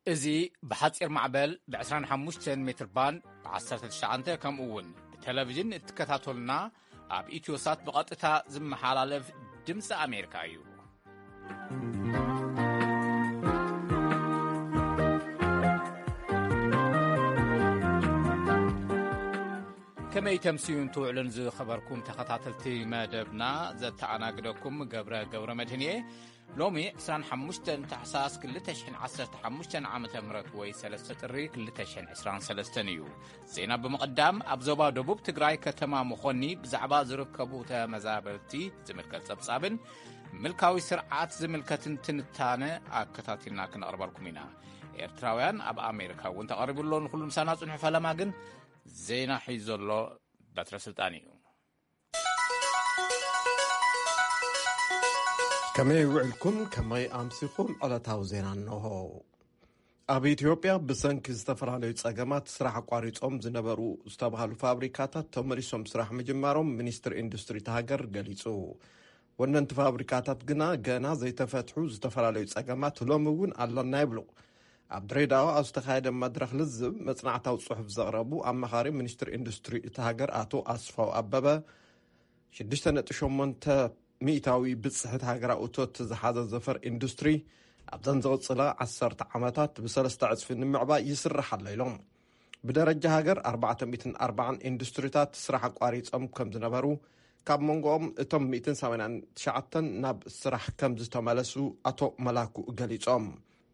እዚ ብሓጺር ማዕበል ብ ዕስራን ሓሙሽተን ሜትር ባንድ ብ ዓሰርተ ትሽዓተ፣ ከምኡ እውን ብቴሌቪዥን እትከታተሉና፣ ኣብ ኢትዮሳት ብቐጥታ ዝመሓላለፍ ድምፂ ኣሜሪካ እዩ። ከመይ ተምስዩን ትውዕሉን ዝኸበርኩም ተኸታተልቲ መደብና፣ ዘተኣናግደኩም ገብረ ገብረ መድህን እየ። ሎሚ ዕስራን ሓሙሽተን ታሕሳስ ክልተ ሽሕን ዓሰርተ ሓሙሽተን ዓመተ ምህረት ወይ ሰለስተ ጥሪ ክልተ ሽሕን ዕስራን ሰለስተን እዩ። ዜና ብምቕዳም፣ ኣብ ዞባ ደቡብ ትግራይ ከተማ መኾኒ ብዛዕባ ዝርከቡ ተመዛበልቲ ዝምልከት ጸብጻብን ምልካዊ ስርዓት ዝምልከትን ትንታነ ኣከታቲልና ክነቕርበልኩም ኢና። ኤርትራውያን ኣብ ኣሜሪካ እውን ተቐሪቡ ኣሎ። ንኹሉ ምሳና ጽንሑ። ፈለማ ግን ዜና ሒዙ ዘሎ በትረ ስልጣን እዩ። ከመይ ውዕልኩም? ከመይ ኣምሲኹም? ዕለታዊ ዜና እንሆ። ኣብ ኢትዮጵያ ብሰንኪ ዝተፈላለዩ ጸገማት ስራሕ ኣቋሪጾም ዝነበሩ ዝተባህሉ ፋብሪካታት ተመሊሶም ስራሕ ምጅማሮም ሚኒስትሪ ኢንዱስትሪ እታ ሃገር ገሊጹ። ወነንቲ ፋብሪካታት ግና ገና ዘይተፈትሑ ዝተፈላለዩ ጸገማት ሎሚ እውን ኣለና ይብሉ። ኣብ ድሬዳዋ ኣብ ዝተኻየደ መድረኽ ልዝብ መጽናዕታዊ ጽሑፍ ዘቕረቡ ኣማኻሪ ሚኒስትሪ ኢንዱስትሪ እታ ሃገር ኣቶ ኣስፋው ኣበበ፣ ሽዱሽተ ነጥቢ ሸሞንተ ሚእታዊ ብጽሕት ሃገራዊ እቶት ዝሓዘ ዘፈር ኢንዱስትሪ ኣብዘን ዝቕጽላ ዓሰርተ ዓመታት ብሰለስተ ዕጽፊ ንምዕባይ ይስራሕ ኣሎ ኢሎም። ብደረጃ ሃገር ኣርባዕተ ሚእትን ኣርባዓን ኢንዱስትሪታት ስራሕ ኣቋሪጾም ከም ዝነበሩ፣ ካብ መንጎኦም እቶም ሚእትን ሰማንያን ትሽዓተን ናብ ስራሕ ከም ዝተመለሱ ኣቶ መላኩ ገሊጾም።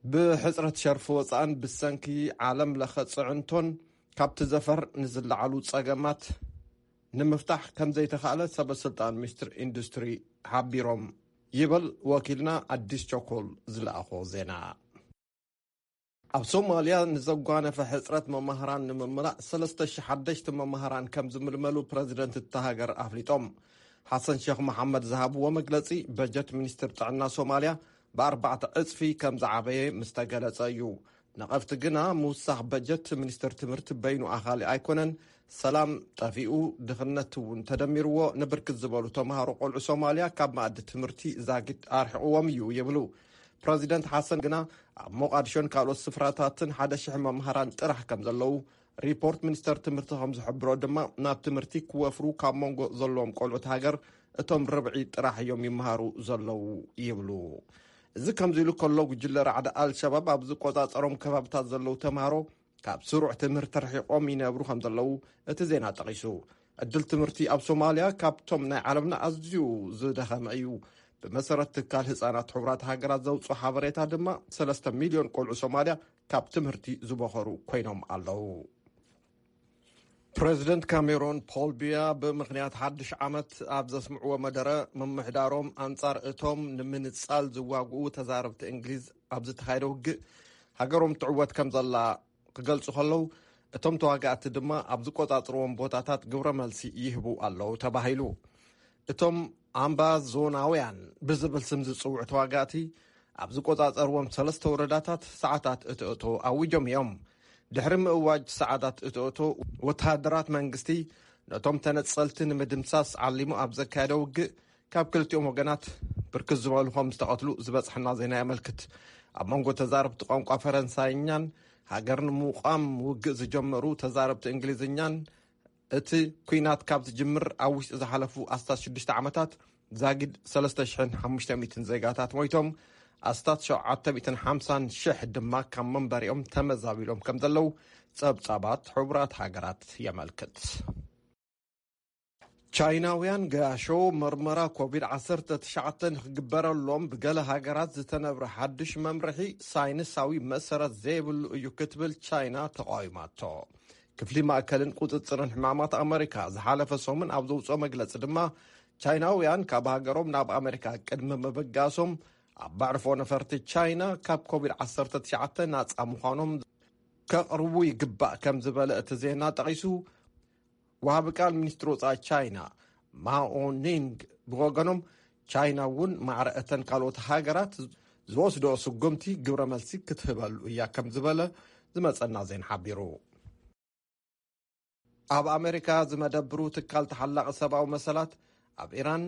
ብሕጽረት ሸርፊ ወጻእን ብሰንኪ ዓለም ለኸ ጽዕንቶን ካብቲ ዘፈር ንዝለዓሉ ጸገማት ንምፍታሕ ከም ዘይተኻእለ ሰበ ስልጣን ሚኒስትሪ ኢንዱስትሪ ሓቢሮም ይብል ወኪልና ኣዲስ ቸኮል ዝለኣኾ ዜና። ኣብ ሶማልያ ንዘጓነፈ ሕጽረት መማህራን ንምምላእ ሰለስተ ሽሕ ሓደሽቲ መማህራን ከም ዝምልመሉ ፕረዚደንት እታ ሃገር ኣፍሊጦም። ሓሰን ሼኽ መሓመድ ዝሃብዎ መግለጺ፣ በጀት ሚኒስትር ጥዕና ሶማልያ ብኣርባዕተ ዕጽፊ ከም ዝዓበየ ምስ ተገለጸ እዩ። ነቐፍቲ ግና ምውሳኽ በጀት ሚኒስትር ትምህርቲ በይኑ ኣኻሊ ኣይኮነን፣ ሰላም ጠፊኡ፣ ድኽነት እውን ተደሚርዎ ንብርክት ዝበሉ ተምሃሮ ቆልዑ ሶማልያ ካብ መኣዲ ትምህርቲ ዛጊድ ኣርሒቕዎም እዩ ይብሉ። ፕረዚደንት ሓሰን ግና ኣብ ሞቓድሾን ካልኦት ስፍራታትን ሓደ ሽሕ መምሃራን ጥራሕ ከም ዘለዉ፣ ሪፖርት ሚኒስተር ትምህርቲ ከም ዝሕብሮ ድማ ናብ ትምህርቲ ክወፍሩ ካብ መንጎ ዘለዎም ቆልዑት ሃገር እቶም ርብዒ ጥራሕ እዮም ይመሃሩ ዘለዉ ይብሉ። እዚ ከምዚ ኢሉ ከሎ፣ ጉጅለ ራዕዲ ኣልሸባብ ኣብ ዝቆጻጸሮም ከባብታት ዘለዉ ተምሃሮ ካብ ስሩዕ ትምህርቲ ርሒቖም ይነብሩ ከም ዘለዉ እቲ ዜና ጠቒሱ። ዕድል ትምህርቲ ኣብ ሶማልያ ካብቶም ናይ ዓለምና ኣዝዩ ዝደኸመ እዩ። ብመሰረት ትካል ህጻናት ሕቡራት ሃገራት ዘውጽኦ ሓበሬታ ድማ፣ ሰለስተ ሚልዮን ቆልዑ ሶማልያ ካብ ትምህርቲ ዝበኸሩ ኮይኖም ኣለዉ። ፕረዚደንት ካሜሮን ፖል ቢያ ብምኽንያት ሓድሽ ዓመት ኣብ ዘስምዕዎ መደረ፣ ምምሕዳሮም ኣንጻር እቶም ንምንጻል ዝዋግኡ ተዛረብቲ እንግሊዝ ኣብ ዝተኻየደ ውግእ ሃገሮም ትዕወት ከም ዘላ ክገልጹ ከለዉ፣ እቶም ተዋጋእቲ ድማ ኣብ ዝቆጻጽርዎም ቦታታት ግብረ መልሲ ይህቡ ኣለዉ ተባሂሉ። እቶም ኣምባዞናውያን ብዝብል ስም ዝጽውዑ ተዋጋእቲ ኣብ ዝቆጻጸርዎም ሰለስተ ወረዳታት ሰዓታት እትእቶ ኣዊጆም እዮም። ድሕሪ ምእዋጅ ሰዓታት እትእቶ፣ ወተሃደራት መንግስቲ ነቶም ተነጸልቲ ንምድምሳስ ዓሊሙ ኣብ ዘካየደ ውግእ ካብ ክልቲኦም ወገናት ብርክት ዝበሉ ከም ዝተቐትሉ ዝበጽሐና ዜና የመልክት። ኣብ መንጎ ተዛረብቲ ቋንቋ ፈረንሳይኛን ሃገር ንምቋም ውግእ ዝጀመሩ ተዛረብቲ እንግሊዝኛን እቲ ኲናት ካብ ዝጅምር ኣብ ውሽጢ ዝሓለፉ ኣስታት ሽዱሽተ ዓመታት ዛጊድ ሰለስተ ሽሕን ሓሙሽተ ሚእትን ዜጋታት ሞይቶም፣ ኣስታት ሸውዓተ ሚእትን ሓምሳን ሽሕ ድማ ካብ መንበሪኦም ተመዛቢሎም ከም ዘለዉ ጸብጻባት ሕቡራት ሃገራት የመልክት። ቻይናውያን ገያሾ መርመራ ኮቪድ ዓሰርተ ትሽዓተ ንክግበረሎም ብገለ ሃገራት ዝተነብረ ሓድሽ መምርሒ ሳይንሳዊ መሰረት ዘይብሉ እዩ ክትብል ቻይና ተቃዊማቶ። ክፍሊ ማእከልን ቁጽጽርን ሕማማት ኣመሪካ ዝሓለፈ ሰሙን ኣብ ዘውጽኦ መግለጺ ድማ፣ ቻይናውያን ካብ ሃገሮም ናብ ኣመሪካ ቅድሚ ምብጋሶም ኣብ መዕርፎ ነፈርቲ ቻይና ካብ ኮቪድ ዓሰርተ ትሽዓተ ናጻ ምዃኖም ከቕርቡ ይግባእ ከም ዝበለ እቲ ዜና ጠቒሱ፣ ወሃቢ ቃል ሚኒስትሪ ወጻኢ ቻይና ማኦ ኒንግ ብወገኖም፣ ቻይና እውን ማዕረ እተን ካልኦት ሃገራት ዝወስድኦ ስጉምቲ ግብረ መልሲ ክትህበሉ እያ ከም ዝበለ ዝመጸና ዜና ሓቢሩ። ኣብ ኣሜሪካ ዝመደብሩ ትካል ተሓላቒ ሰብኣዊ መሰላት፣ ኣብ ኢራን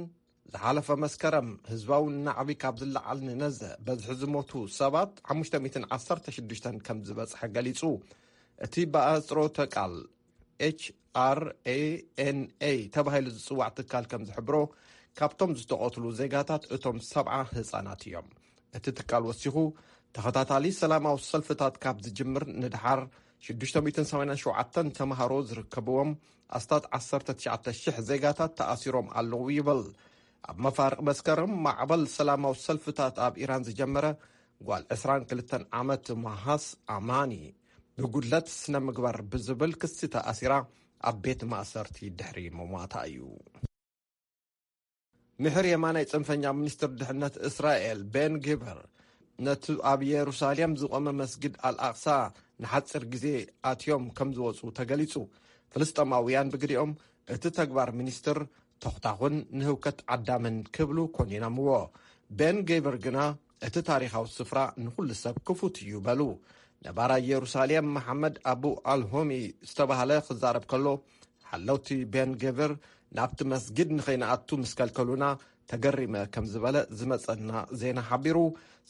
ዝሓለፈ መስከረም ህዝባዊ ናዕቢ ካብ ዝለዓል ንነዘ በዝሒ ዝሞቱ ሰባት ሓሙሽተ ሚእትን ዓሰርተ ሽዱሽተን ከም ዝበጽሐ ገሊጹ። እቲ ብኣህጽሮተ ቃል ኤች ኣር ኤ ኤን ኤ ተባሂሉ ዝጽዋዕ ትካል ከም ዝሕብሮ፣ ካብቶም ዝተቐትሉ ዜጋታት እቶም ሰብዓ ህጻናት እዮም። እቲ ትካል ወሲኹ፣ ተኸታታሊ ሰላማዊ ሰልፍታት ካብ ዝጅምር ንድሓር ሽዱሽተ ሚእትን ሰማንያን ሸውዓተን ተምሃሮ ዝርከብዎም ኣስታት ዓሰርተ ትሽዓተ ሽሕ ዜጋታት ተኣሲሮም ኣለዉ ይብል። ኣብ መፋርቕ መስከረም ማዕበል ሰላማዊ ሰልፍታት ኣብ ኢራን ዝጀመረ ጓል ዕስራን ክልተን ዓመት ማሃስ ኣማኒ ብጉድለት ስነ ምግባር ብዝብል ክሲ ተኣሲራ ኣብ ቤት ማእሰርቲ ድሕሪ ምሟታ እዩ። ምሕር የማናይ ጽንፈኛ ሚኒስትር ድሕነት እስራኤል ቤን ጊቨር ነቲ ኣብ የሩሳሌም ዝቖመ መስጊድ ኣልኣቕሳ ንሓጺር ግዜ ኣትዮም ከም ዝወጹ ተገሊጹ። ፍልስጤማውያን ብግዲኦም እቲ ተግባር ሚኒስትር ተኹታኹን ንህውከት ዓዳምን ክብሉ ኮኒኖምዎ። ቤን ጌቨር ግና እቲ ታሪኻዊ ስፍራ ንኹሉ ሰብ ክፉት እዩ በሉ። ነባራይ የሩሳሌም መሓመድ ኣቡ ኣልሆሚ ዝተባህለ ክዛረብ ከሎ፣ ሓለውቲ ቤን ጌቨር ናብቲ መስጊድ ንኸይንኣቱ ምስ ከልከሉና ተገሪመ ከም ዝበለ ዝመጸና ዜና ሓቢሩ።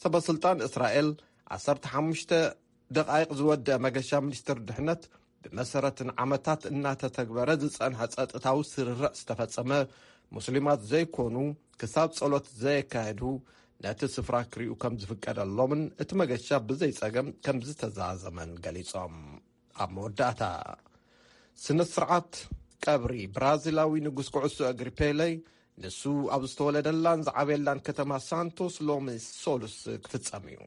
ሰበ ስልጣን እስራኤል ዓሰርተ ሓሙሽተ ደቓይቕ ዝወደአ መገሻ ሚኒስትር ድሕነት፣ ብመሰረት ንዓመታት እናተተግበረ ዝጸንሐ ጸጥታዊ ስርርዕ ዝተፈጸመ፣ ሙስሊማት ዘይኮኑ ክሳብ ጸሎት ዘየካየዱ ነቲ ስፍራ ክሪኡ ከም ዝፍቀደሎምን እቲ መገሻ ብዘይ ጸገም ከም ዝተዛዘመን ገሊጾም። ኣብ መወዳእታ፣ ስነ ስርዓት ቀብሪ ብራዚላዊ ንጉስ ኩዕሶ እግሪ ፔሌ፣ ንሱ ኣብ ዝተወለደላን ዝዓበየላን ከተማ ሳንቶስ ሎሚ ሶሉስ ክፍጸም እዩ።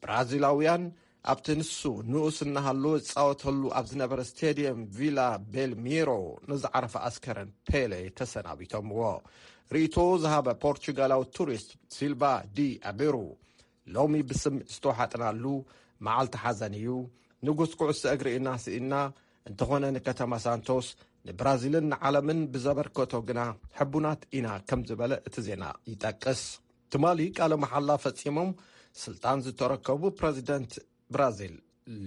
ብራዚላውያን ኣብቲ ንሱ ንኡስ እናሃለወ ዝጻወተሉ ኣብ ዝነበረ ስቴድየም ቪላ ቤልሚሮ ንዝዓረፈ ኣስከረን ፔሌ ተሰናቢቶምዎ። ርእይቶ ዝሃበ ፖርቹጋላዊ ቱሪስት ሲልቫ ዲ ኣቤሩ፣ ሎሚ ብስምዒት ዝተወሓጥናሉ መዓልቲ ሓዘን እዩ። ንጉስ ኩዕሶ እግሪ ኢና ስኢና፣ እንተኾነ ንከተማ ሳንቶስ፣ ንብራዚልን ንዓለምን ብዘበርከቶ ግና ሕቡናት ኢና ከም ዝበለ እቲ ዜና ይጠቅስ። ትማሊ ቃለ መሓላ ፈጺሞም ስልጣን ዝተረከቡ ፕረዚደንት ብራዚል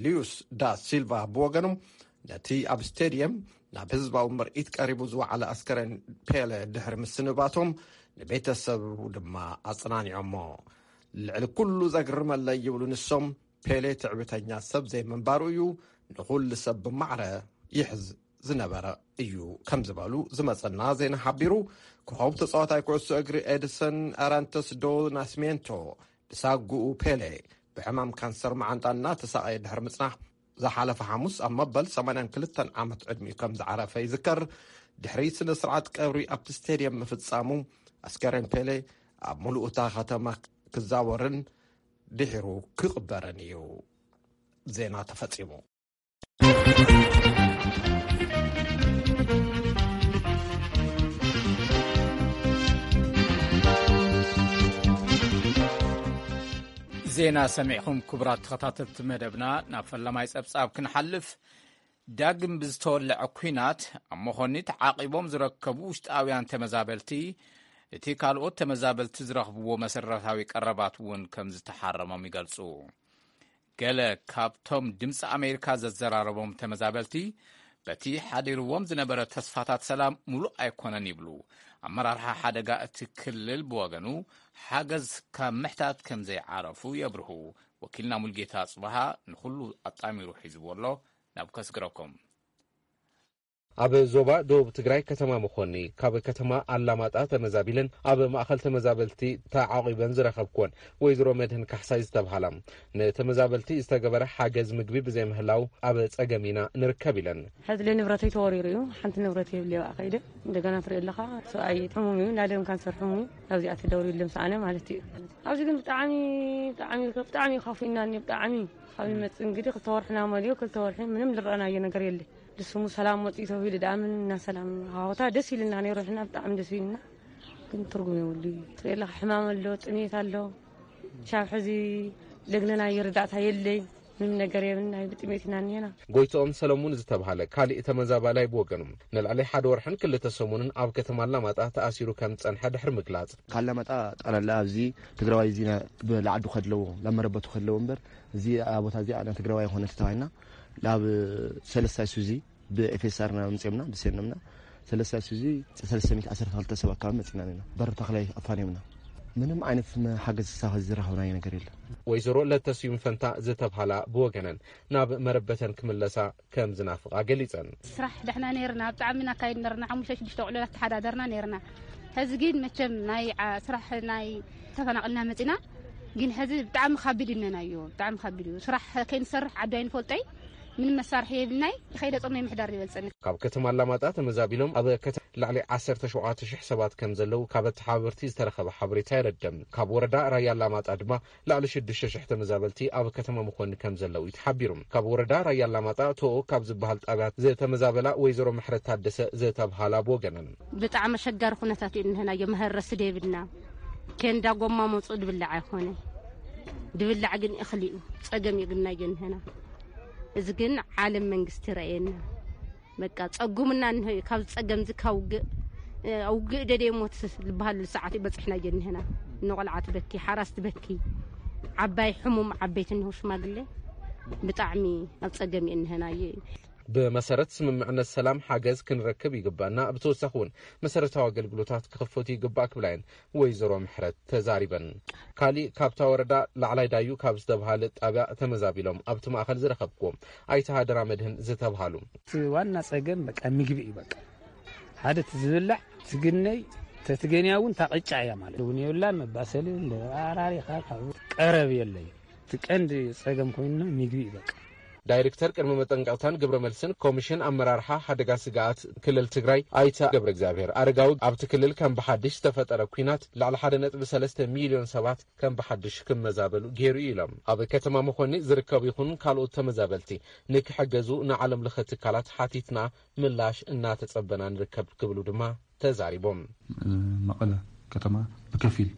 ሉዩስ ዳ ሲልቫ ብወገኖም፣ ነቲ ኣብ ስቴድየም ናብ ህዝባዊ ምርኢት ቀሪቡ ዝወዓለ ኣስከሬን ፔለ ድሕሪ ምስንባቶም፣ ንቤተሰቡ ድማ ኣጽናኒዖሞ። ልዕሊ ኩሉ ዘግርመለይ ይብሉ ንሶም፣ ፔሌ ትዕቢተኛ ሰብ ዘይምንባሩ እዩ፣ ንኹሉ ሰብ ብማዕረ ይሕዝ ዝነበረ እዩ ከም ዝበሉ ዝመጸና ዜና ሓቢሩ። ኮኸብ ተጻዋታይ ኩዕሶ እግሪ ኤድሰን ኣራንተስ ዶ ናስሜንቶ ብሳጉኡ ፔሌ ብሕማም ካንሰር መዓንጣ እናተሳቐየ ድሕሪ ምጽናሕ፣ ዝሓለፈ ሓሙስ ኣብ መበል ሰማንያን ክልተን ዓመት ዕድሚኡ ከም ዝዓረፈ ይዝከር። ድሕሪ ስነ ስርዓት ቀብሪ ኣብቲ ስቴድየም ምፍጻሙ፣ ኣስከሬን ፔሌ ኣብ ሙሉእ እታ ከተማ ክዛወርን ድሒሩ ክቕበርን እዩ። ዜና ተፈጺሙ። ዜና ሰሚዕኹም ክቡራት ተኸታተልቲ መደብና፣ ናብ ፈለማይ ጸብጻብ ክንሓልፍ። ዳግም ብዝተወለዐ ኲናት ኣብ መኾኒ ተዓቒቦም ዝረከቡ ውሽጣውያን ተመዛበልቲ፣ እቲ ካልኦት ተመዛበልቲ ዝረኽብዎ መሰረታዊ ቀረባት እውን ከም ዝተሓረሞም ይገልጹ። ገለ ካብቶም ድምፂ ኣሜሪካ ዘዘራረቦም ተመዛበልቲ፣ በቲ ሓዲርዎም ዝነበረ ተስፋታት ሰላም ሙሉእ ኣይኮነን ይብሉ። ኣመራርሓ ሓደጋ እቲ ክልል ብወገኑ፣ ሓገዝ ካብ ምሕታት ከም ዘይዓረፉ የብርሁ። ወኪልና ሙልጌታ ጽባሃ ንኹሉ ኣጣሚሩ ሒዝዎ ኣሎ። ናብ ከስግረኩም። ኣብ ዞባ ደቡብ ትግራይ ከተማ መኾኒ፣ ካብ ከተማ ኣላማጣ ተመዛቢለን ኣብ ማእኸል ተመዛበልቲ ተዓቒበን ዝረኸብኩወን ወይዘሮ መድህን ካሕሳይ ዝተብሃላ፣ ንተመዛበልቲ ዝተገበረ ሓገዝ ምግቢ ብዘይምህላው ኣብ ጸገም ኢና ንርከብ ኢለን። ሕዚ ንብረተይ ተወሪሩ እዩ። ሓንቲ ንብረት የብለይ፣ ኣብኣ ከይደ እንደገና ትርኢ ኣለኻ። ሰብኣይ ሕሙም እዩ፣ እንዳ ደም ካንሰር ሕሙም እዩ። ኣብዚኣ ተደውሪሉ ምስ ኣነ ማለት እዩ። ኣብዚ ግን ብጣዕሚ፣ ብጣዕሚ፣ ብጣዕሚ ከፊእና እኒ ብጣዕሚ። ካብ ይመጽእ እንግዲህ ክልተ ወርሕና መሊኡ፣ ክልተ ወርሒ ምንም ዝረኣናዮ ነገር የለ። ንስሙ ሰላም መጽኡ ተባሂሉ ደኣ ምን እና ሰላም ሃወታ ደስ ኢልና ነይሩ፣ ሕና ብጣዕሚ ደስ ኢልና። ግን ትርጉም የብሉ እዩ። ትርኢ ኣለኻ፣ ሕማም ኣሎ፣ ጥሜት ኣሎ። ሻብ ሕዚ ለግነናዮ ርዳእታ የለይ፣ ምንም ነገር የብልና፣ ብጥሜት ኢና እኒሄና። ጎይትኦም ሰለሙን ዝተብሃለ ካሊእ ተመዛባላይ ብወገኑ፣ ንልዕሊ ሓደ ወርሕን ክልተ ሰሙንን ኣብ ከተማ ኣላማጣ ተኣሲሩ ከም ዝጸንሐ ድሕሪ ምግላጽ፣ ካላማጣ ጠቕላላ ኣብዚ ትግራዋይ እዚ ና-፣ ብ-፣ ላዓዱ ከድለዎ፣ ላብ መረበቱ ከድለዎ እምበር፣ እዚ ኣብ ቦታ እዚኣ ናይ ትግራዋይ ኣይኮነን ተባሂልና፣ ላብ ሰለስታይ ሱዚ ብኤፍ ኤስ ኣር ና ኣምጺኦምና፣ ብሴኖምና፣ ሰለስተ ሺሕ ሰለስተ ሚእቲ ዓሰርተ ክልተ ሰብ ኣካባቢ መፂና ኣለና። በሪ ተኽላይ ኣፋንዮምና። ምንም ዓይነት ሓገዝ ሳኸ ዝረኸብናዮ ነገር የለን። ወይዘሮ ለተስዩም ፈንታ ዝተብሃላ ብወገነን ናብ መረበተን ክምለሳ ከም ዝናፍቓ ገሊጸን። ስራሕ ደሕና ነርና፣ ብጣዕሚ ናካይድ ነርና፣ ሓሙሽተ ሽዱሽተ ቆልዑ ኣተሓዳደርና ነርና። ሕዚ ግን መቸም ናይ ዓ- ስራሕ ናይ ተፈናቕልና መፂና። ግን ሕዚ ብጣዕሚ ካቢድ እነናዮ፣ ብጣዕሚ ካቢድ እዩ። ስራሕ ከይንሰርሕ ዓዲ ኣይንፈልጦይ፣ ምንም መሳርሒ የብልናይ። ይኸይደ ጾመይ ምሕዳር ይበልጸኒ። ካብ ከተማ ኣላማጣ ተመዛቢሎም ኣብ ከተማ ልዕሊ ዓሰርተ ሸውዓተ ሽሕ ሰባት ከም ዘለዉ ካብ ኣተሓባበርቲ ዝተረኸበ ሓበሬታ የረድእ። ካብ ወረዳ ራያ ኣላማጣ ድማ ልዕሊ ሽዱሽተ ሽሕ ተመዛበልቲ ኣብ ከተማ መኾኒ ከም ዘለዉ እዩ ተሓቢሩ። ካብ ወረዳ ራያ ኣላማጣ ቶኦ ካብ ዝበሃል ጣብያ ዝተመዛበላ ወይዘሮ ምሕረት ታደሰ ዝተብሃላ ብወገነን። ብጣዕሚ ኣሸጋሪ ኩነታት እዩ እንህናዮ። መሀረሲ ደብልና፣ ኬንዳ ጎማ መፁ ድብላዕ ኣይኮነ፣ ድብላዕ ግን እኽሊ እዩ። ፀገም እዩ ግናዮ እንህና። እዚ ግን ዓለም መንግስቲ ረእየና። በቃ ጸጉምና እንሆ እዩ። ካብ ጸገም እዚ ካብ ውግእ፣ እ፣ ውግእ ደደ ሞት ዝበሃሉ ሰዓት እዩ በጺሕናዮ እንሄና። ንቆልዓ ትበኪ፣ ሓራስ ትበኪ፣ ዓባይ ሕሙም፣ ዓበይቲ እንሆ ሽማግሌ ብጣዕሚ ኣብ ጸገም እዩ እንሄናዮ እዩ። ብመሰረት ስምምዕነት ሰላም ሓገዝ ክንረክብ ይግባና፣ ብተወሳኺ እውን መሰረታዊ ኣገልግሎታት ክኽፈቱ ይግባእ ክብላ እየን ወይዘሮ ምሕረት ተዛሪበን። ካሊእ ካብታ ወረዳ ላዕላይ ዳዩ ካብ ዝተብሃለ ጣብያ ተመዛቢሎም ኣብቲ ማእኸል ዝረኸብኩዎም ኣይተ ሃደራ መድህን ዝተብሃሉ። እቲ ዋና ፀገም በቃ ምግቢ እዩ። በቃ ሓደ እቲ ዝብላዕ ትግነይ፣ ተትገንያ እውን ታቕጫ እያ ማለት እውን የብላን። መባሰሊ እንደ ኣራሪኻ ካብ ቀረብ የለይ። እቲ ቀንዲ ፀገም ኮይንና ምግቢ እዩ በቃ። ዳይሬክተር ቅድመ መጠንቀቕታን ግብረ መልስን ኮሚሽን ኣመራርሓ ሓደጋ ስግኣት ክልል ትግራይ ኣይተ ገብረ እግዚኣብሔር ኣረጋዊ፣ ኣብቲ ክልል ከም ብሓድሽ ዝተፈጠረ ኲናት ልዕሊ ሓደ ነጥቢ ሰለስተ ሚልዮን ሰባት ከም ብሓድሽ ክመዛበሉ ገይሩ እዩ ኢሎም። ኣብ ከተማ መኾኒ ዝርከቡ ይኹን ካልኦት ተመዛበልቲ ንክሕገዙ ንዓለም ለኸ ትካላት ሓቲትና ምላሽ እናተጸበና ንርከብ ክብሉ ድማ ተዛሪቦም። መቐለ ከተማ ብከፊል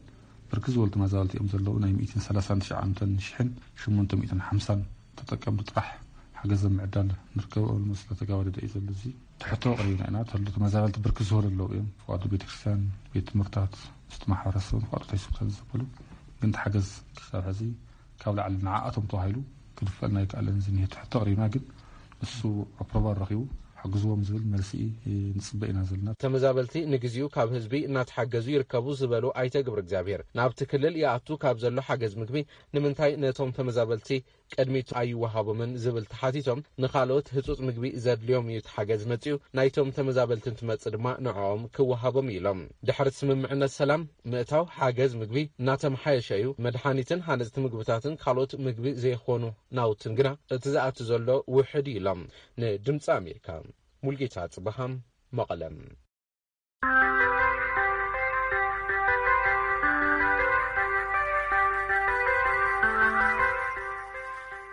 ብርክት ዝበሉ ተመዛበልቲ እዮም ዘለዉ። ናይ ሚእትን ሰላሳን ትሽዓተ ሽሕን ሽሞንተ ሚእትን ሓምሳን ተጠቀምቲ ጥራሕ ሓገዝ ኣብ ምዕዳል ንርከብ። ኦልሞስት እናተጋባደደ እዩ ዘሎ። እዚ ትሕቶ ኣቕሪብና ኢና። ተሎ ተመዛበልቲ ብርክት ዝበሉ ኣለዉ እዮም። ፍቓዶ ቤተክርስትያን፣ ቤት ትምህርታት፣ ውሽጢ ማሕበረሰብን ፍቓዶ ሆስፒታል ዝበሉ ግን እቲ ሓገዝ ክሳብ ሕዚ ካብ ላዕሊ ንዓኣቶም ተባሂሉ ክድፈልና ኣይከኣለን። ዝኒሀ ትሕቶ ኣቕሪብና ግን ንሱ ኣፕሮቫል ረኺቡ ሓግዝዎም ዝብል መልሲ ንፅበ ኢና ዘለና። ተመዛበልቲ ንግዚኡ ካብ ህዝቢ እናተሓገዙ ይርከቡ ዝበሉ ኣይተ ግብረ እግዚኣብሔር፣ ናብቲ ክልል ይኣቱ ካብ ዘሎ ሓገዝ ምግቢ ንምንታይ ነቶም ተመዛበልቲ ቅድሚት ኣይወሃቦምን ዝብል ተሓቲቶም፣ ንኻልኦት ህፁፅ ምግቢ ዘድልዮም እዩ እቲ ሓገዝ መፂኡ፣ ናይቶም ተመዛበልቲ እንትመፅእ ድማ ንዕኦም ክወሃቦም እዩ ኢሎም። ድሕሪ ስምምዕነት ሰላም ምእታው ሓገዝ ምግቢ እናተመሓየሸ እዩ። መድሓኒትን ሃነፅቲ ምግብታትን ካልኦት ምግቢ ዘይኾኑ ናውትን ግና እቲ ዝኣቱ ዘሎ ውሕድ እዩ ኢሎም። ንድምፂ ኣሜሪካ ሙልጌታ ጽበሃም መቐለም።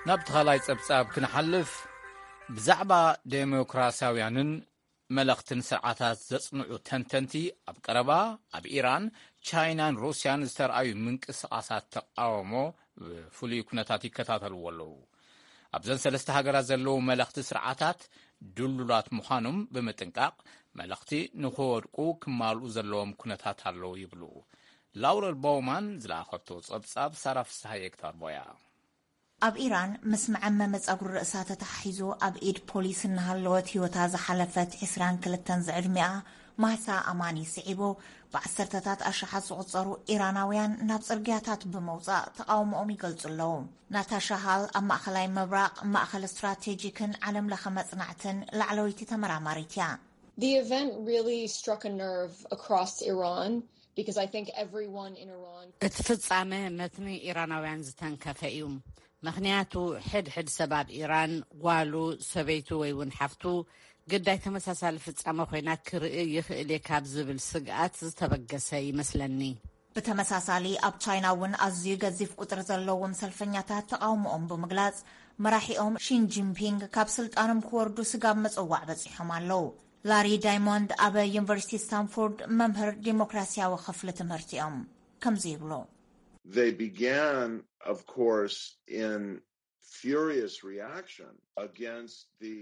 ናብ ተኻላይ ጸብጻብ ክንሓልፍ፣ ብዛዕባ ዴሞክራሲያውያንን መለኽትን ስርዓታት ዘጽንዑ ተንተንቲ ኣብ ቀረባ ኣብ ኢራን፣ ቻይናን ሩስያን ዝተርኣዩ ምንቅስቓሳት ተቓውሞ ብፍሉይ ኩነታት ይከታተልዎ ኣለዉ። ኣብዘን ሰለስተ ሃገራት ዘለዉ መለኽቲ ስርዓታት ድሉላት ምዃኖም ብምጥንቃቕ፣ መለኽቲ ንኽወድቁ ክማልኡ ዘለዎም ኩነታት ኣለዉ ይብሉ። ላውረል ቦውማን ዝለኣኸቶ ጸብጻብ ሳራ ፍስሃየ ክተቕርቦ እያ። ኣብ ኢራን ምስ መዐመሚ ጸጉሪ ርእሳ ተተሓሒዙ ኣብ ኢድ ፖሊስ እናሃለወት ህይወታ ዝሓለፈት ዕስራን ክልተን ዝዕድሚኣ ማህሳ ኣማኒ ስዒቦ፣ ብዓሰርተታት ኣሽሓት ዝቑጸሩ ኢራናውያን ናብ ጽርግያታት ብምውጻእ ተቓውሞኦም ይገልጹ ኣለዉ። ናታሻ ሃል ኣብ ማእኸላይ ምብራቕ ማእኸል ስትራቴጂክን ዓለም ለኸ መጽናዕትን ላዕለወይቲ ተመራማሪት እያ። The event really struck a nerve across Iran because I think everyone in Iran እቲ ፍጻመ መትኒ ኢራናውያን ዝተንከፈ እዩ። ምኽንያቱ ሕድ ሕድ ሰብ ኣብ ኢራን ጓሉ፣ ሰበይቱ ወይ እውን ሓፍቱ ግዳይ ተመሳሳሊ ፍጻመ ኮይና ክርኢ ይኽእል እየ ካብ ዝብል ስግኣት ዝተበገሰ ይመስለኒ። ብተመሳሳሊ ኣብ ቻይና እውን ኣዝዩ ገዚፍ ቁጽሪ ዘለዎም ሰልፈኛታት ተቓውሞኦም ብምግላጽ መራሒኦም ሺን ጂንፒንግ ካብ ስልጣኖም ክወርዱ ስጋብ ምጽዋዕ በጺሖም ኣለዉ። ላሪ ዳይሞንድ ኣብ ዩኒቨርሲቲ ስታንፎርድ መምህር ዲሞክራሲያዊ ክፍሊ ትምህርቲ እዮም። ከምዚ ይብሉ። They began, of course, in furious reaction against the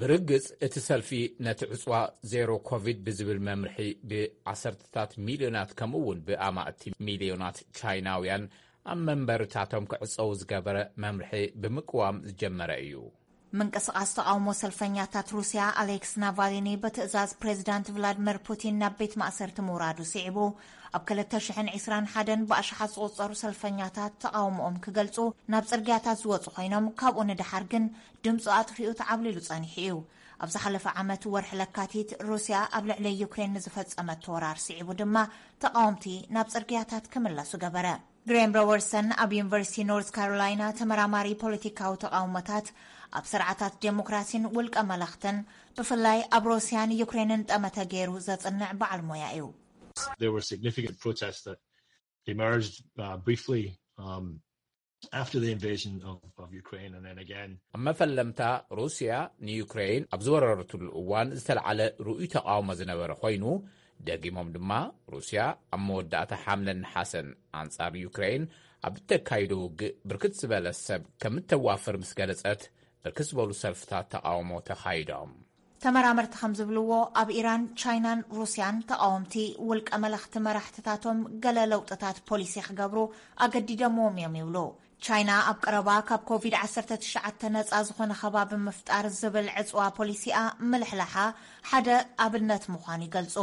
ብርግጽ እቲ ሰልፊ ነቲ ዕጽዋ ዜሮ ኮቪድ ብዝብል መምርሒ ብዓሰርተታት ሚልዮናት ከምኡ እውን ብኣማእቲ ሚልዮናት ቻይናውያን ኣብ መንበርታቶም ክዕጸዉ ዝገበረ መምርሒ ብምቅዋም ዝጀመረ እዩ። ምንቅስቓስ ተቓውሞ ሰልፈኛታት ሩስያ ኣሌክስ ናቫሊኒ ብትእዛዝ ፕሬዚዳንት ቭላድሚር ፑቲን ናብ ቤት ማእሰርቲ ምውራዱ ስዒቡ፣ ኣብ ክልተ ሽሕን ዕስራን ሓደን ብኣሽሓት ዝቑጸሩ ሰልፈኛታት ተቓውሞኦም ክገልጹ ናብ ጽርግያታት ዝወጹ ኮይኖም፣ ካብኡ ንደሓር ግን ድምጹ ኣጥፊኡ ተዓብሊሉ ጸኒሑ እዩ። ኣብ ዝሓለፈ ዓመት ወርሒ ለካቲት ሩስያ ኣብ ልዕሊ ዩክሬን ንዝፈጸመቶ ወራር ስዒቡ ድማ ተቓወምቲ ናብ ጽርግያታት ክምለሱ ገበረ። ግሬም ሮበርትሰን ኣብ ዩኒቨርሲቲ ኖርት ካሮላይና ተመራማሪ ፖለቲካዊ ተቓውሞታት፣ ኣብ ስርዓታት ዴሞክራሲን ውልቀ መለኽትን፣ ብፍላይ ኣብ ሩስያን ዩክሬንን ጠመተ ገይሩ ዘጽንዕ በዓል ሞያ እዩ። There were significant protests that emerged uh, briefly um, after the invasion of, of Ukraine, and then again. ኣብ መፈለምታ፣ ሩስያ ንዩክሬን ኣብ ዝወረረትሉ እዋን ዝተለዓለ ርኡይ ተቓውሞ ዝነበረ ኮይኑ፣ ደጊሞም ድማ ሩስያ ኣብ መወዳእታ ሓምለን ነሓሰን ኣንጻር ዩክሬን ኣብ እተካይዶ ውግእ ብርክት ዝበለ ሰብ ከም እተዋፍር ምስ ገለጸት፣ ብርክት ዝበሉ ሰልፍታት ተቓውሞ ተኻይዶም። ተመራመርቲ ከም ዝብልዎ፣ ኣብ ኢራን፣ ቻይናን ሩስያን ተቓወምቲ ውልቀ መለኽቲ መራሕትታቶም ገለ ለውጥታት ፖሊሲ ክገብሩ ኣገዲደምዎም እዮም ይብሉ። ቻይና ኣብ ቀረባ ካብ ኮቪድ ዓሰርተ ትሽዓተ ነጻ ዝኾነ ከባቢ ምፍጣር ዝብል ዕጽዋ ፖሊሲኣ ምልሕላሓ ሓደ ኣብነት ምዃኑ ይገልጹ።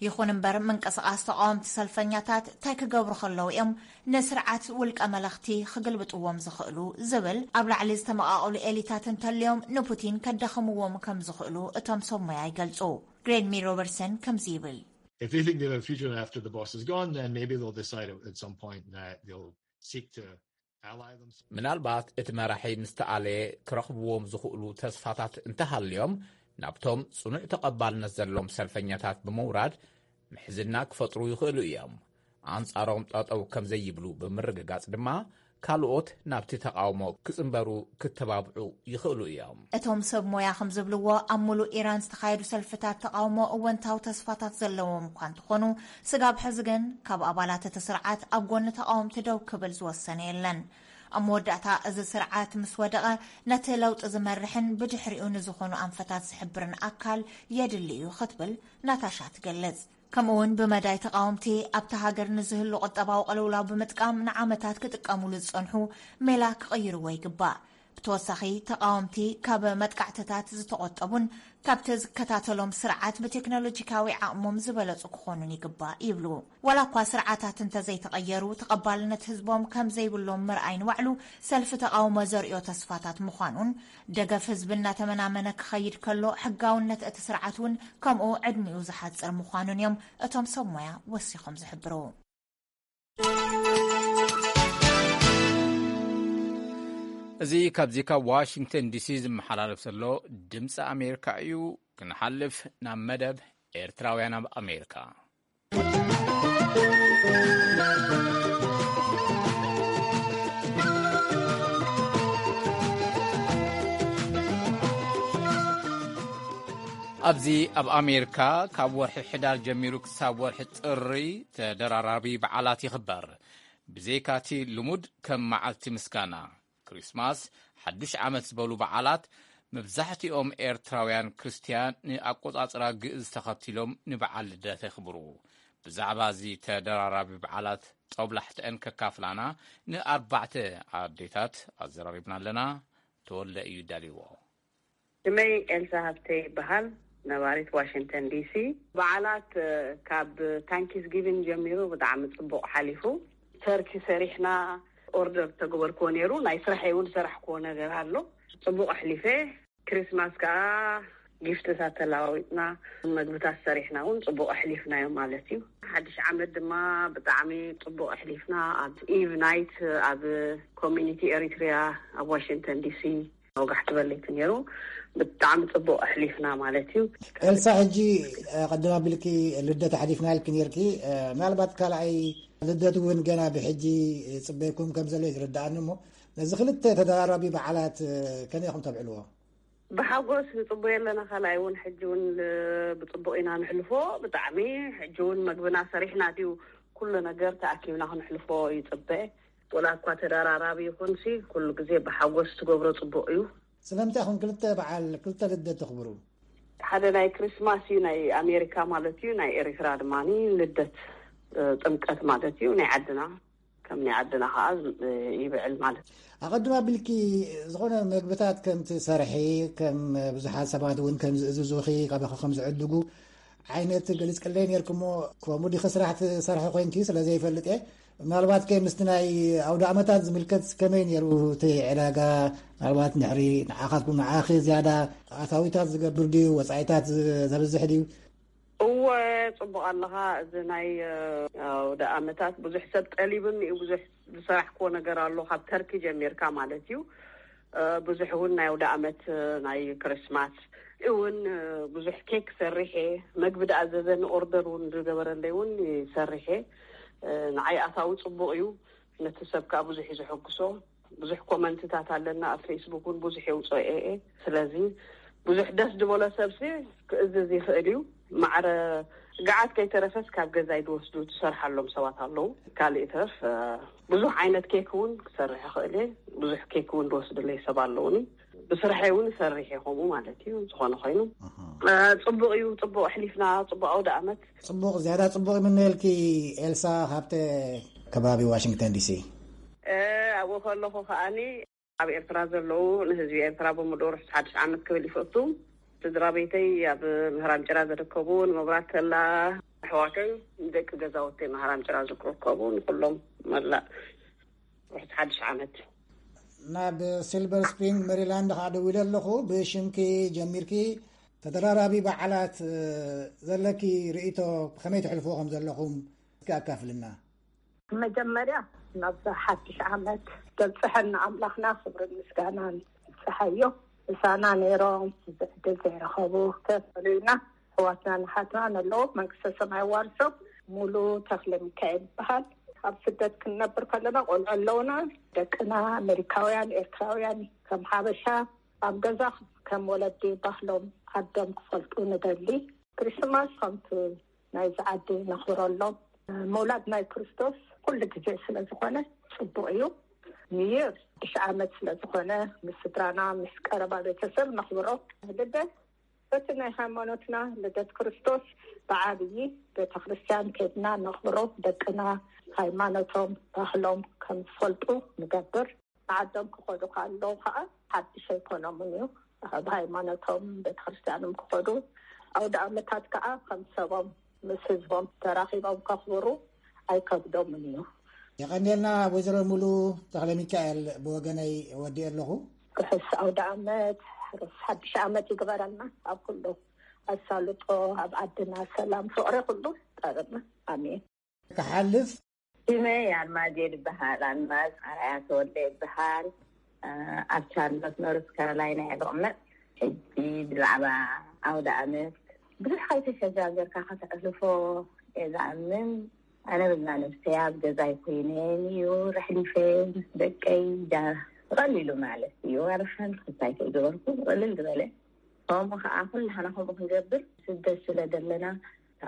ይኹን እምበር፣ ምንቅስቓስ ተቓወምቲ ሰልፈኛታት እንታይ ክገብሩ ከለዉ እዮም ንስርዓት ውልቀ መለኽቲ ክግልብጥዎም ዝኽእሉ ዝብል ኣብ ላዕሊ ዝተመቓቐሉ ኤሊታት እንተልዮም ንፑቲን ከዳኽምዎም ከም ዝኽእሉ እቶም ሰብ ሞያ ይገልጹ። ግሬን ሚ ሮበርትሰን ከምዚ ይብል። If they think they have a future after the boss is gone, then maybe they'll decide at some point that they'll seek to ally themselves. ምናልባት እቲ መራሒ ምስ ተኣለየ ክረኽብዎም ዝኽእሉ ተስፋታት እንተሃልዮም፣ ናብቶም ጽኑዕ ተቐባልነት ዘለዎም ሰልፈኛታት ብምውራድ ምሕዝና ክፈጥሩ ይኽእሉ እዮም። ኣንጻሮም ጠጠው ከም ዘይብሉ ብምርግጋጽ ድማ፣ ካልኦት ናብቲ ተቓውሞ ክጽንበሩ ክተባብዑ ይኽእሉ እዮም። እቶም ሰብ ሞያ ከም ዝብልዎ፣ ኣብ ሙሉእ ኢራን ዝተኻየዱ ሰልፍታት ተቓውሞ እወንታዊ ተስፋታት ዘለዎም እኳ እንተኾኑ፣ ስጋብ ሕዚ ግን ካብ ኣባላት እቲ ስርዓት ኣብ ጎኒ ተቓወምቲ ደው ክብል ዝወሰነ የለን። ኣብ መወዳእታ፣ እዚ ስርዓት ምስ ወደቐ፣ ነቲ ለውጢ ዝመርሕን ብድሕሪኡ ንዝኾኑ ኣንፈታት ዝሕብርን ኣካል የድሊ እዩ ክትብል ናታሻ ትገልጽ። ከምኡውን ብመዳይ ተቓወምቲ ኣብታ ሃገር ንዝህሉ ቁጠባዊ ቅልውላው ብምጥቃም ንዓመታት ክጥቀሙሉ ዝጸንሑ ሜላ ክቕይርዎ ይግባእ። ብተወሳኺ፣ ተቓወምቲ ካብ መጥቃዕትታት ዝተቖጠቡን ካብቲ ዝከታተሎም ስርዓት ብቴክኖሎጂካዊ ዓቕሞም ዝበለጹ ክኾኑን ይግባእ ይብሉ። ዋላ እኳ ስርዓታት እንተዘይተቐየሩ፣ ተቐባልነት ህዝቦም ከም ዘይብሎም ምርኣይ ንባዕሉ ሰልፊ ተቓውሞ ዘርእዮ ተስፋታት ምዃኑን፣ ደገፍ ህዝቢ እናተመናመነ ክኸይድ ከሎ፣ ሕጋውነት እቲ ስርዓት እውን ከምኡ ዕድሚኡ ዝሓጽር ምዃኑን እዮም እቶም ሰብ ሞያ ወሲኾም ዝሕብሩ። እዚ ካብዚ ካብ ዋሽንግተን ዲሲ ዝመሓላለፍ ዘሎ ድምፂ ኣሜሪካ እዩ። ክንሓልፍ ናብ መደብ ኤርትራውያን ኣብ ኣሜሪካ። ኣብዚ ኣብ ኣሜሪካ ካብ ወርሒ ሕዳር ጀሚሩ ክሳብ ወርሒ ጥሪ ተደራራቢ በዓላት ይኽበር። ብዘይካቲ ልሙድ ከም መዓልቲ ምስጋና፣ ክሪስማስ፣ ሓዱሽ ዓመት ዝበሉ በዓላት፣ መብዛሕትኦም ኤርትራውያን ክርስትያን ንኣቆጻጽራ ግእዝ ተኸቲሎም ንበዓል ልደት የኽብሩ። ብዛዕባ እዚ ተደራራቢ በዓላት ጦብላሕተአን ከካፍላና ንኣርባዕተ ኣዴታት ኣዘራሪብና ኣለና። ተወልደ እዩ ዳልዎ። ሽመይ ኤልሳ ሃብተ ይበሃል። ነባሪት ዋሽንግተን ዲሲ። በዓላት ካብ ታንኪስ ጊቪን ጀሚሩ ብጣዕሚ ጽቡቕ ሓሊፉ። ተርኪ ሰሪሕና፣ ኦርደር ተገበርክዎ ነይሩ። ናይ ስራሐይ እውን ሰራሕክዎ ነገር ኣሎ። ጽቡቕ ኣሕሊፈ። ክሪስማስ ከዓ ጊፍትታት ተለዋዊጥና፣ መግብታት ሰሪሕና እውን ጽቡቕ ኣሕሊፍናዮ ማለት እዩ። ሓድሽ ዓመት ድማ ብጣዕሚ ጽቡቕ ኣሕሊፍና። ኣብ ኢቭ ናይት ኣብ ኮሚኒቲ ኤሪትሪያ ኣብ ዋሽንግተን ዲሲ ወጋሕ ትበለይቲ ነይሩ። ብጣዕሚ ጽቡቕ ኣሕሊፍና ማለት እዩ። ኤልሳ፣ ሕጂ ቀደም ኣቢልኪ ልደት ኣሕሊፍና ኢልኪ ነይርኪ። ምናልባት ካልኣይ ልደት እውን ገና ብሕጂ ጽበይኩም ከም ዘሎ እዩ ዝርድኣኒ። እሞ ነዚ ክልተ ተደራራቢ በዓላት ከመይ ኢኹም ተብዕልዎ? ብሓጎስ ንጽበዮ ኣለና። ካልኣይ እውን ሕጂ እውን ብጽቡቕ ኢና ንሕልፎ። ብጣዕሚ ሕጂ እውን መግብና ሰሪሕና ድዩ ኩሉ ነገር ተኣኪብና ክንሕልፎ ይጽበ። ወላ እኳ ተደራራቢ ይኹንሲ፣ ኩሉ ግዜ ብሓጎስ ትገብሮ ጽቡቕ እዩ። ስለምንታይ ኢኹም ክልተ በዓል ክልተ ልደት ተኽብሩ? ሓደ ናይ ክሪስማስ እዩ፣ ናይ ኣሜሪካ ማለት እዩ፣ ናይ ኤሪትራ ድማ ልደት፣ ጥምቀት ማለት እዩ፣ ናይ ዓድና። ከም ናይ ዓድና ከዓ ይብዕል ማለት እዩ። ኣቐድም ኣቢልኪ ዝኾነ መግብታት ከም ትሰርሒ፣ ከም ብዙሓት ሰባት እውን ከም ዝእዝዙኺ፣ ካባኺ ከም ዝዕድጉ ዓይነት ገሊጽክለይ ነይርክሞ፣ ከምኡ ዲኺ ስራሕ ትሰርሒ ኮይንኪ ስለ ዘይፈልጥ እየ። ምናልባት ከ ምስቲ ናይ ኣውደ ኣመታት ዝምልከት ከመይ ነይሩ እቲ ዕዳጋ? ምናልባት ንሕሪ ንዓኻትኩም ንዓኺ ዝያዳ ኣታዊታት ዝገብር ድዩ፣ ወጻኢታት ዘብዝሕ ድዩ? እወ፣ ጽቡቕ ኣለኻ። እዚ ናይ ኣውደ ኣመታት ብዙሕ ሰብ ጠሊብኒ እዩ። ብዙሕ ዝሰራሕክዎ ነገር ኣሎ፣ ካብ ተርኪ ጀሚርካ ማለት እዩ። ብዙሕ እውን ናይ ኣውደ ኣመት፣ ናይ ክርስማስ እውን ብዙሕ ኬክ ሰሪሐ፣ መግቢ ደኣ ዘዘኒ ኦርደር እውን ዝገበረለይ እውን ሰሪሐ። ንዓይ ኣታዊ ጽቡቕ እዩ፣ ነቲ ሰብ ከዓ ብዙሕ እዩ ዘሐጉሶ። ብዙሕ ኮመንትታት ኣለና ኣብ ፌስቡክ እውን ብዙሕ የውፅኦ እየ። ስለዚ ብዙሕ ደስ ዝበሎ ሰብሲ ክእዝዝ ይኽእል እዩ። ማዕረ ገዓት ከይተረፈስ ካብ ገዛይ ዝወስዱ ትሰርሓሎም ሰባት ኣለዉ። ካልእ ይትረፍ ብዙሕ ዓይነት ኬክ እውን ክሰርሕ ይኽእል እየ። ብዙሕ ኬክ እውን ዝወስድለይ ሰብ ኣለውኒ። ብስርሐይ እውን እሰርሕ እየ ከምኡ ማለት እዩ። ዝኾነ ኮይኑ ጽቡቕ እዩ። ጽቡቕ ኣሕሊፍና፣ ጽቡቕ ኣውደ ኣመት። ጽቡቕ፣ ዝያዳ ጽቡቕ ይምነየልኪ ኤልሳ፣ ካብተ ከባቢ ዋሽንግተን ዲሲ። ኣብኡ ከለኹ ከዓኒ ኣብ ኤርትራ ዘለዉ ንህዝቢ ኤርትራ ብምሉኡ ርሑስ ሓድሽ ዓመት ክብል ይፈቱ። ስድራ ቤተይ ኣብ ምህራም ጭራ ዝርከቡ፣ ንመብራት ተላ ኣሕዋተይ፣ ንደቂ ገዛውተይ ምህራም ጭራ ዝርከቡ፣ ንኩሎም መላእ ርሑስ ሓድሽ ዓመት። ናብ ሲልቨር ስፕሪንግ ሜሪላንድ ከዓ ደዊለ ኣለኹ። ብሽምኪ ጀሚርኪ ተደራራቢ በዓላት ዘለኪ ርኢቶ ከመይ ትሕልፍዎ ከም ዘለኹም እስኪ ኣካፍልና። መጀመርያ ናብዛ ሓድሽ ዓመት ዘብፅሐና ኣምላኽና ክብርን ምስጋናን ይብፅሓዮ። ምሳና ነይሮም እዚ ዕድል ዘይረኸቡ ተፈለዩና ኣሕዋትና ንሓትና ነለዎ መንግስተ ሰማይ ዋርሶም። ሙሉ ተኽለ ሚካኤል ይበሃል። ኣብ ስደት ክንነብር ከለና ቆልዑ ኣለውና። ደቅና ኣሜሪካውያን፣ ኤርትራውያን ከም ሓበሻ ኣብ ገዛ ከም ወለዲ ባህሎም ዓዶም ክፈልጡ ንደሊ። ክሪስማስ ከምቲ ናይዚ ዓዲ ነኽብረሎም። ምውላድ ናይ ክርስቶስ ኩሉ ግዜ ስለ ዝኾነ ጽቡቕ እዩ። ኒው ይር ሓድሽ ዓመት ስለ ዝኾነ ምስ ስድራና ምስ ቀረባ ቤተሰብ ነኽብሮ። ልደት በቲ ናይ ሃይማኖትና ልደት ክርስቶስ ብዓብዪ ቤተ ክርስቲያን ከድና ነኽብሮ። ደቅና ሃይማኖቶም ባህሎም ከም ዝፈልጡ ንገብር። ዓዶም ክኸዱ ከለዉ ከዓ ሓድሽ ኣይኮኖምን እዩ። ኣብ ሃይማኖቶም ቤተክርስትያኖም ክኸዱ፣ ኣውደ ኣመታት ከዓ ከም ሰቦም ምስ ህዝቦም ተራኺቦም ከኽብሩ ኣይከብዶምን እዩ። የቐንየልና ወይዘሮ ሙሉ ተኽለ ሚካኤል፣ ብወገነይ ወዲእ ኣለኹ። ርሑስ ኣውደ ኣመት፣ ርሑስ ሓድሽ ኣመት ይግበረልና። ኣብ ኩሉ ኣሳልጦ፣ ኣብ ዓድና ሰላም ፍቕሪ ኩሉ ጠርና። ኣሜን። ክሓልፍ ሽመይ ኣልማዝ እየ ዝበሃል። ኣልማዝ ኣርኣያ ተወልደ ይበሃል። ኣብ ቻርሎት ኖርስ ካሮላይና እየ ዝቕመጥ። ሕጂ ብዛዕባ ኣውደ ኣመት ብዙሕ ከይተሸጋገርካ ከተሕልፎ እየ ዝኣምን። ኣነ ብዛ ነብሰይ ኣብ ገዛይ ኮይነ እዩ ረሕሊፈ ምስ ደቀይ ጃ-፣ ብቐሊሉ ማለት እዩ። ዋላ ሓንቲ ክስታይ ከይገበርኩ ብቕልል ዝበለ። ከምኡ ከዓ ኩላህና ከምኡ ክንገብር ስደት ስለ ዘለና፣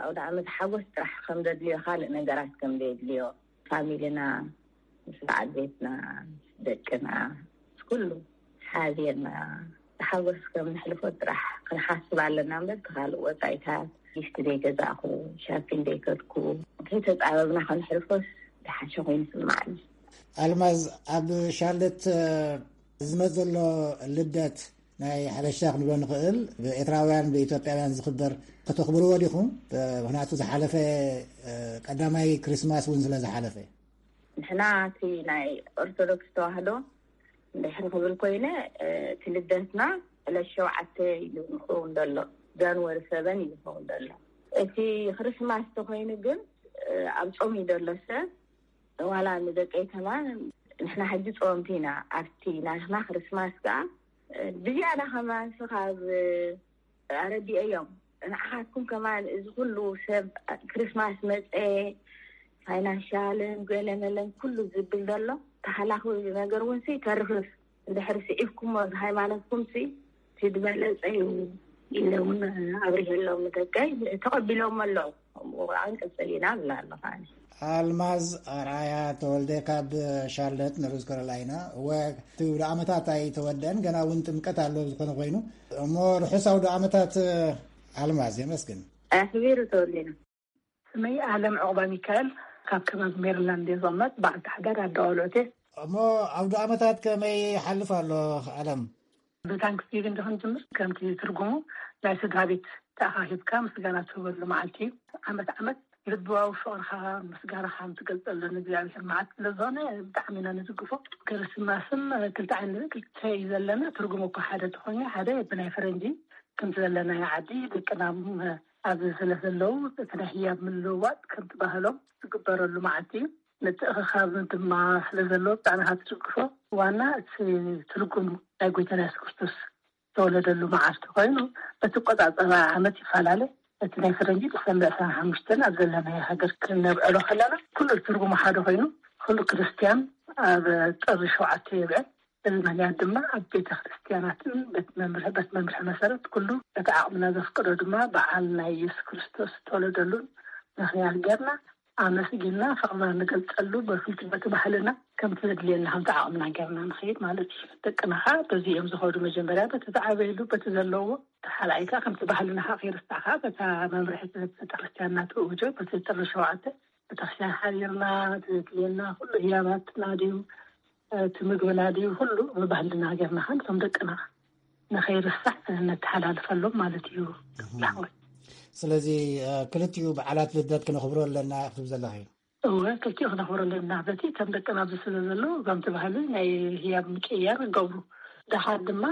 ኣውደ ዓመት ሓጎስ ጥራሕ ከም ዘድልዮ፣ ካልእ ነገራት ከም ዘየድልዮ፣ ፋሚልና፣ ምስ በዓል ቤትና፣ ምስ ደቅና፣ ምስ ኩሉ ሓቢርና ብሓጎስ ከም ነሕልፎ ጥራሕ ክንሓስብ ኣለና እምበር፣ እቲ ካልእ ወጻኢታት፣ ጊፍት ዘይገዛእኩ፣ ሻፒን ዘይከድኩ፣ ከይተጻበብና ከነሕልፎስ ዝሓሸ ኮይኑ ይስምዓኒ። ኣልማዝ፣ ኣብ ሻርለት ዝመጽእ ዘሎ ልደት ናይ ሓበሻ ክንብሎ ንኽእል፣ ብኤርትራውያን ብኢትዮጵያውያን ዝኽበር፣ ከተኽብርዎ ዲኹም? ምኽንያቱ ዝሓለፈ፣ እ፣ ቀዳማይ ክሪስማስ እውን ስለ ዝሓለፈ። ንሕና እቲ ናይ ኦርቶዶክስ ተዋህዶ እንድሕር ክብል ኮይነ፣ እ፣ እቲ ልደትና ዕለት ሸውዓተ እዩ ዝኸውን ዘሎ፣ ጃንዋሪ ሰበን እዩ ዝኸውን ዘሎ። እቲ ክርስማስ ተኾይኑ ግን፣ እ፣ ኣብ ጾም እዩ ዘሎ ሰብ። ዋላ ንደቀይ ከማን ንሕና ሕጂ ጸወምቲ ኢና፣ ኣብቲ ናትና ክርስማስ ከኣ ብዝያዳ ከማን ስኻብ ኣረዲኤዮም። ንዓኻትኩም ከማን እዚ ኩሉ ሰብ ክርስማስ መጸ፣ ፋይናንሻልን ገለመለን ኩሉ ዝብል ዘሎ ተሃላኺ ነገር እውን ሲ ተርፍፍ። እንድሕር ስዒብኩሞ ሃይማኖትኩም ሲ እቲ ዝበለጸ እዩ ኢለ እውን ኣብሪሄሎም ንደቀይ። ተቐቢሎም ኣለዉ። ከምኡ ከዓ ንቅጽል ኢና እብላ ኣለኹ ኣነ። ኣልማዝ ኣርኣያ ተወልደ ካብ ሻርለት ኖርዝ ካሮላይና። እወ፣ እቲ ውደ ዓመታት ኣይተወደአን፣ ገና እውን ጥምቀት ኣሎ። ዝኾነ ኮይኑ እሞ ርሑስ ኣውደ ዓመታት ኣልማዝ፣ የመስግን። ኣኽቢሩ ተወሊና። ስመይ ኣለም ዑቕባ ሚካኤል፣ ካብ ከባቢ ሜሪላንድ እየ ዝቕመጥ። በዓልቲ ሓዳር ኣደ ቆልዑት እየ። እሞ ኣውደ ዓመታት ከመይ ይሓልፍ ኣሎ ኣለም? ብታንክስጊቪንግ ዶ ክንጅምር? ከምቲ ትርጉሙ ናይ ስድራ ቤት ተኣኻኺብካ ምስጋና ትህበሉ መዓልቲ እዩ። ዓመት ዓመት ልባዊ ፍቕርኻ ምስጋናኻ ትገልጸሉ ንእግዚኣብሔር መዓልቲ ስለ ዝኾነ ብጣዕሚ ኢና ንድግፎ። ክርስማስን ክልተ ዓይነት ክልተ እዩ ዘለና። ትርጉሙ እኮ ሓደ ተኾይኑ ሓደ ብናይ ፈረንጂ ከምቲ ዘለናዮ ዓዲ ደቅና ኣብዚ ስለ ዘለዉ እቲ ናይ ህያብ ምልውዋጥ ከምቲ ባህሎም ዝግበረሉ መዓልቲ እዩ። ምትእኽኻብ ድማ ስለ ዘለዎ ብጣዕሚ ኢኻ ትድግፎ። ዋና እቲ ትርጉም ናይ ጎይታና የሱስ ክርስቶስ ዝተወለደሉ መዓልቲ ኮይኑ በቲ ቆጻጸራ ዓመት ይፈላለ። እቲ ናይ ፈረንጂ ዲሰምበር ዕስራን ሓሙሽተን ኣብ ዘለናዮ ሃገር ክነብዕሎ ከለና ኩሉ ትርጉሙ ሓደ ኮይኑ ኩሉ ክርስትያን ኣብ ጥሪ ሸውዓተ የብዕል። እዚ ምኽንያት ድማ ኣብ ቤተ ክርስትያናትን ቤት መምርሒ ቤት መምርሒ መሰረት ኩሉ እቲ ዓቕምና ዘፍቅዶ ድማ በዓል ናይ የሱስ ክርስቶስ ዝተወለደሉን ምኽንያት ጌርና ኣመስጊንና ፍቕርና ንገልጸሉ በፍልቲ በቲ ባህልና ከምቲ ዘድልየና ከምቲ ዓቕምና ጌርና ንኸይድ ማለት እዩ። ደቅና ኸዓ በዚ እዮም ዝኸዱ። መጀመርያ በቲ ዝዓበይሉ በቲ ዘለዎ ተሓላይካ ከምቲ ባህልና ኸዓ ከይርሳዕ ኸዓ በታ መምርሒ ቤተ ክርስትያንና ትእውጆ በቲ ጥሪ ሸውዓተ ቤተክርስትያን ሓዲርና እቲ ዘድልየና ኩሉ ህያባትና ድዩ እቲ ምግብና ድዩ ኩሉ ብባህልና ጌርና ኸዓ ነቶም ደቅና ንኸይርሳዕ ነተሓላልፈሎም ማለት እዩ። ላዕወት ስለዚ ክልቲኡ በዓላት ልደት ክነኽብሮ ኣለና ክትብ ዘለኺ? እወ፣ ክልቲኡ ክነኽብሮ ኣለና። በቲ ከም ደቅና ኣብዚ ስለ ዘሎ እዞም ተባህሉ ናይ ህያብ ምቅያር ይገብሩ። ደሓር ድማ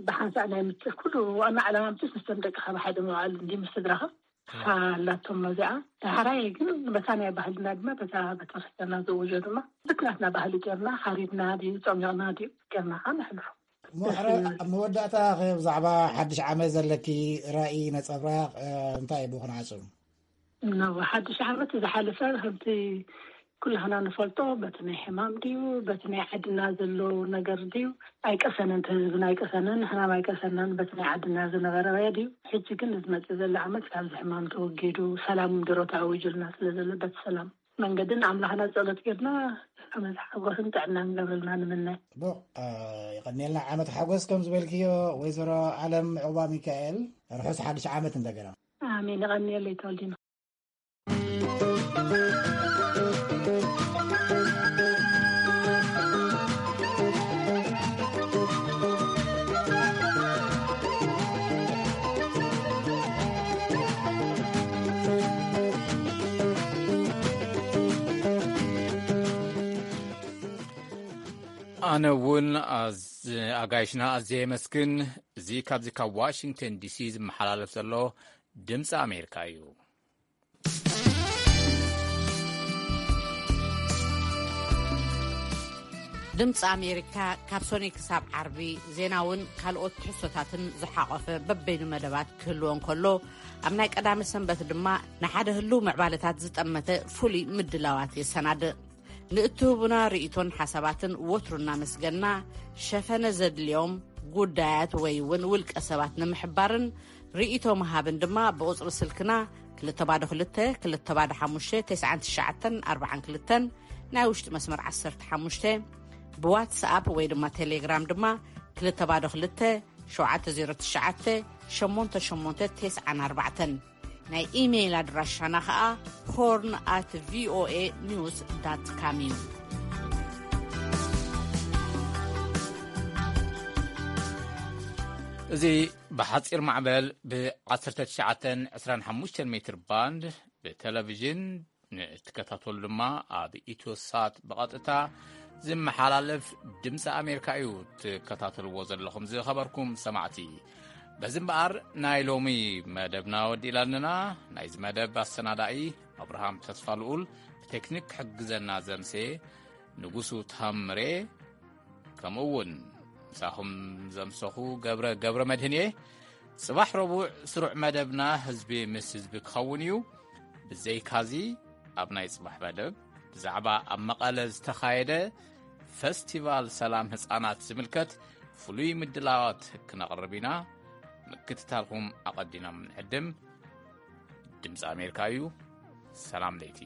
ብሓንሳእ ናይ ምት ኩሉ ዋና ዕላማ ምትስ ምስቶም ደቅኻ ብሓደ ምውዓል እንዲ ምስ ስድራኻ እሳ ኣላቶም እዚኣ። ዳሕራይ ግን በታ ናይ ባህልና ድማ በታ ቤተክርስትያንና ዝእውጆ ድማ ብናትና ባህሊ ጌርና ሓሪድና ድዩ ጸሚቕና ድዩ ጌርና ከዓ ነሕልፎ። እሞ ሕረ ኣብ መወዳእታ ከ ብዛዕባ ሓድሽ ዓመት ዘለኪ ራእይ ነጸብራቕ እንታይ እዩ ብኹን ዓጹ? እነሆ ሓድሽ ዓመት ዝሓለፈ ከምቲ ኩላህና ንፈልጦ በቲ ናይ ሕማም ድዩ በቲ ናይ ዓድና ዘሎ ነገር ድዩ ኣይቀሰነን፣ እቲ ህዝብና ኣይቀሰነን፣ ንሕናም ኣይቀሰናን። በቲ ናይ ዓድና ዝነበረ ድዩ ሕጂ ግን ዝመጽእ ዘሎ ዓመት ካብዚ ሕማም ተወጊዱ ሰላም ምድሮ ተኣዊጁልና ስለ ዘሎ በቲ ሰላም መንገድን ኣምላኽና ጸሎት ጌርና ዓመት ሓጎስን ጥዕናን ገብረልና ንምነ። ጽቡቕ። ይቐንየልና ዓመት ሓጎስ ከም ዝበልክዮ ወይዘሮ ኣለም ዕቑባ ሚካኤል። ርሑስ ሓድሽ ዓመት እንደገና። ኣሜን። ይቐንየለይ ተወልዲና። ኣነ እውን ኣዝ- ኣጋይሽና ኣዝየ የመስግን። እዚ ካብዚ ካብ ዋሽንግተን ዲሲ ዝመሓላለፍ ዘሎ ድምፂ ኣሜሪካ እዩ። ድምፂ ኣሜሪካ ካብ ሶኒ ክሳብ ዓርቢ ዜናውን ካልኦት ትሕዝቶታትን ዝሓቖፈ በበይኑ መደባት ክህልዎ እንከሎ፣ ኣብ ናይ ቀዳመ ሰንበት ድማ ንሓደ ህልው ምዕባለታት ዝጠመተ ፍሉይ ምድላዋት የሰናድእ። ንእትህቡና ርእይቶን ሓሳባትን ወትሩ እናመስገና፣ ሸፈነ ዘድልዮም ጉዳያት ወይ እውን ውልቀ ሰባት ንምሕባርን ርእይቶ ምሃብን ድማ ብቁጽሪ ስልክና ክልተ ባዶ ክልተ፣ ክልተ ባዶ ሓሙሽተ፣ ተስዓን ትሽዓተን ኣርባዓን ክልተን፣ ናይ ውሽጢ መስመር ዓሰርተ ሓሙሽተ፣ ብዋትስኣፕ ወይ ድማ ቴሌግራም ድማ ክልተ ባዶ ክልተ፣ ሸውዓተ ዜሮ ትሽዓተ፣ ሸሞንተ ሸሞንተ ተስዓን ኣርባዕተን። ናይ ኢሜይል ኣድራሻና ኸኣ ሆርን ኣት ቪኦኤ ኒውስ ዳት ካም እዩ። እዚ ብሓጺር ማዕበል ብ ዓሰርተ ትሽዓተን ዕስራን ሓሙሽተን ሜትር ባንድ ብቴሌቪዥን ንእትከታተሉ ድማ ኣብ ኢትዮ ሳት ብቐጥታ ዝመሓላለፍ ድምፂ ኣሜሪካ እዩ ትከታተልዎ ዘለኹም ዝኸበርኩም ሰማዕቲ። በዚ እምበኣር ናይ ሎሚ መደብና ወዲእላንና። ናይዚ መደብ ኣሰናዳኢ ኣብርሃም ተስፋ ልኡል፣ ብቴክኒክ ክሕግዘና ዘምሴ ንጉሱ ታምሬ፣ ከምኡ እውን ምሳኹም ዘምሰኹ ገብረ ገብረ መድህን እየ። ጽባሕ ረቡዕ ስሩዕ መደብና ህዝቢ ምስ ህዝቢ ክኸውን እዩ። ብዘይካዚ ኣብ ናይ ጽባሕ መደብ ብዛዕባ ኣብ መቐለ ዝተኻየደ ፈስቲቫል ሰላም ህጻናት ዝምልከት ፍሉይ ምድላዋት ክነቕርብ ኢና። ምክትታልኩም ኣቐዲና ንዕድም። ድምፂ ኣሜሪካ እዩ። ሰላም ለይቲ።